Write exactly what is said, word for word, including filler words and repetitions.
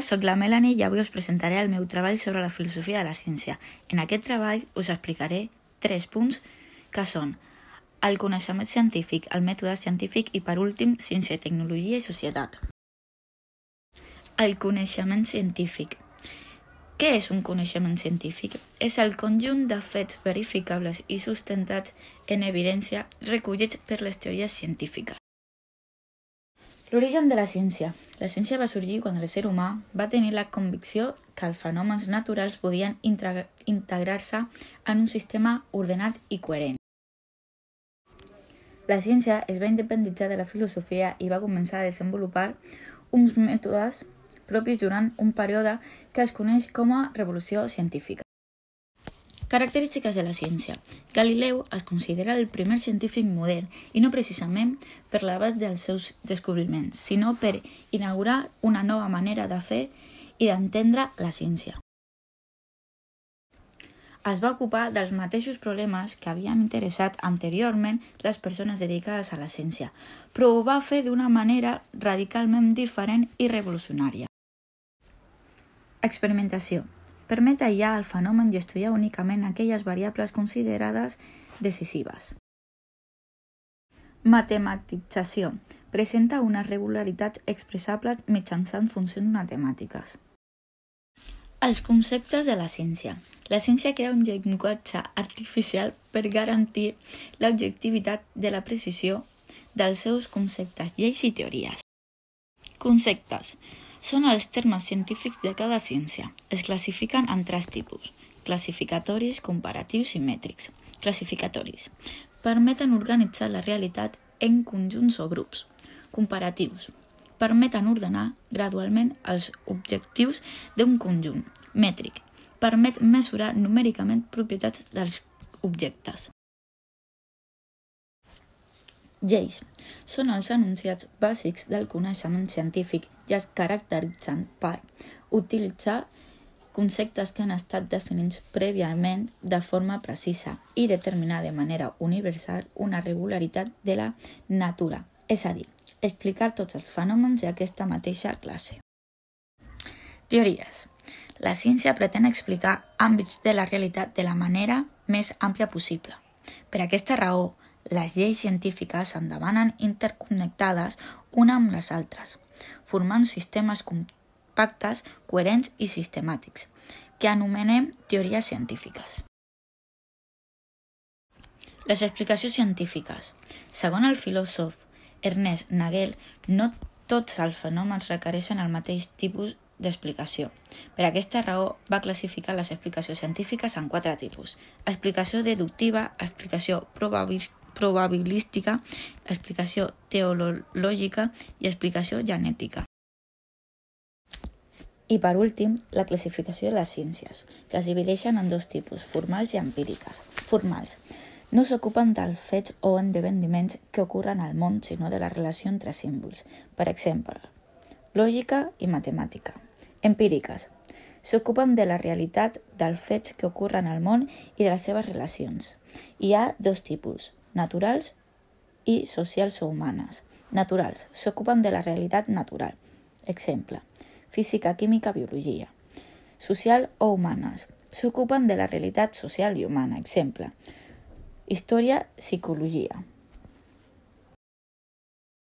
Soc la Melanie i avui us presentaré el meu treball sobre la filosofia de la ciència. En aquest treball us explicaré tres punts que són el coneixement científic, el mètode científic i, per últim, ciència, tecnologia i societat. El coneixement científic. Què és un coneixement científic? És el conjunt de fets verificables i sustentats en evidència recollits per les teories científiques. L'origen de la ciència. La ciència va sorgir quan el ser humà va tenir la convicció que els fenòmens naturals podien integrar-se en un sistema ordenat i coherent. La ciència es va independitzar de la filosofia i va començar a desenvolupar uns mètodes propis durant un període que es coneix com a revolució científica. Característiques de la ciència. Galileu es considera el primer científic modern i no precisament per l'abast dels seus descobriments, sinó per inaugurar una nova manera de fer i d'entendre la ciència. Es va ocupar dels mateixos problemes que havien interessat anteriorment les persones dedicades a la ciència, però ho va fer d'una manera radicalment diferent i revolucionària. Experimentació. Permet aïllar el fenomen i estudiar únicament aquelles variables considerades decisives. Matematització. Presenta unes regularitats expressables mitjançant funcions matemàtiques. Els conceptes de la ciència. La ciència crea un llenguatge artificial per garantir l'objectivitat de la precisió dels seus conceptes, lleis i teories. Conceptes. Són els termes científics de cada ciència. Es classifiquen en tres tipus: classificatoris, comparatius i mètrics. Classificatoris. Permeten organitzar la realitat en conjunts o grups. Comparatius. Permeten ordenar gradualment els objectius d'un conjunt. Mètric. Permet mesurar numèricament propietats dels objectes. Lleis. Són els enunciats bàsics del coneixement científic i es caracteritzen per utilitzar conceptes que han estat definits prèviament de forma precisa i determinar de manera universal una regularitat de la natura, és a dir, explicar tots els fenòmens d'aquesta mateixa classe. Teories. La ciència pretén explicar àmbits de la realitat de la manera més àmplia possible. Per aquesta raó, les lleis científiques endavanen interconnectades una amb les altres, formant sistemes compactes, coherents i sistemàtics, que anomenem teories científiques. Les explicacions científiques. Segons el filòsof Ernest Nagel, no tots els fenòmens requereixen el mateix tipus d'explicació. Per aquesta raó va classificar les explicacions científiques en quatre tipus: explicació deductiva, explicació probabilística, explicació teleològica i explicació genètica. I per últim, la classificació de les ciències, que es divideixen en dos tipus, formals i empíriques. Formals. No s'ocupen dels fets o esdeveniments que ocorren al món, sinó de la relació entre símbols. Per exemple, lògica i matemàtica. Empíriques. S'ocupen de la realitat dels fets que ocorren al món i de les seves relacions. Hi ha dos tipus, naturals i socials o humanes. Naturals. S'ocupen de la realitat natural. Exemple, física, química, biologia. Social o humanes. S'ocupen de la realitat social i humana. Exemple, història, psicologia.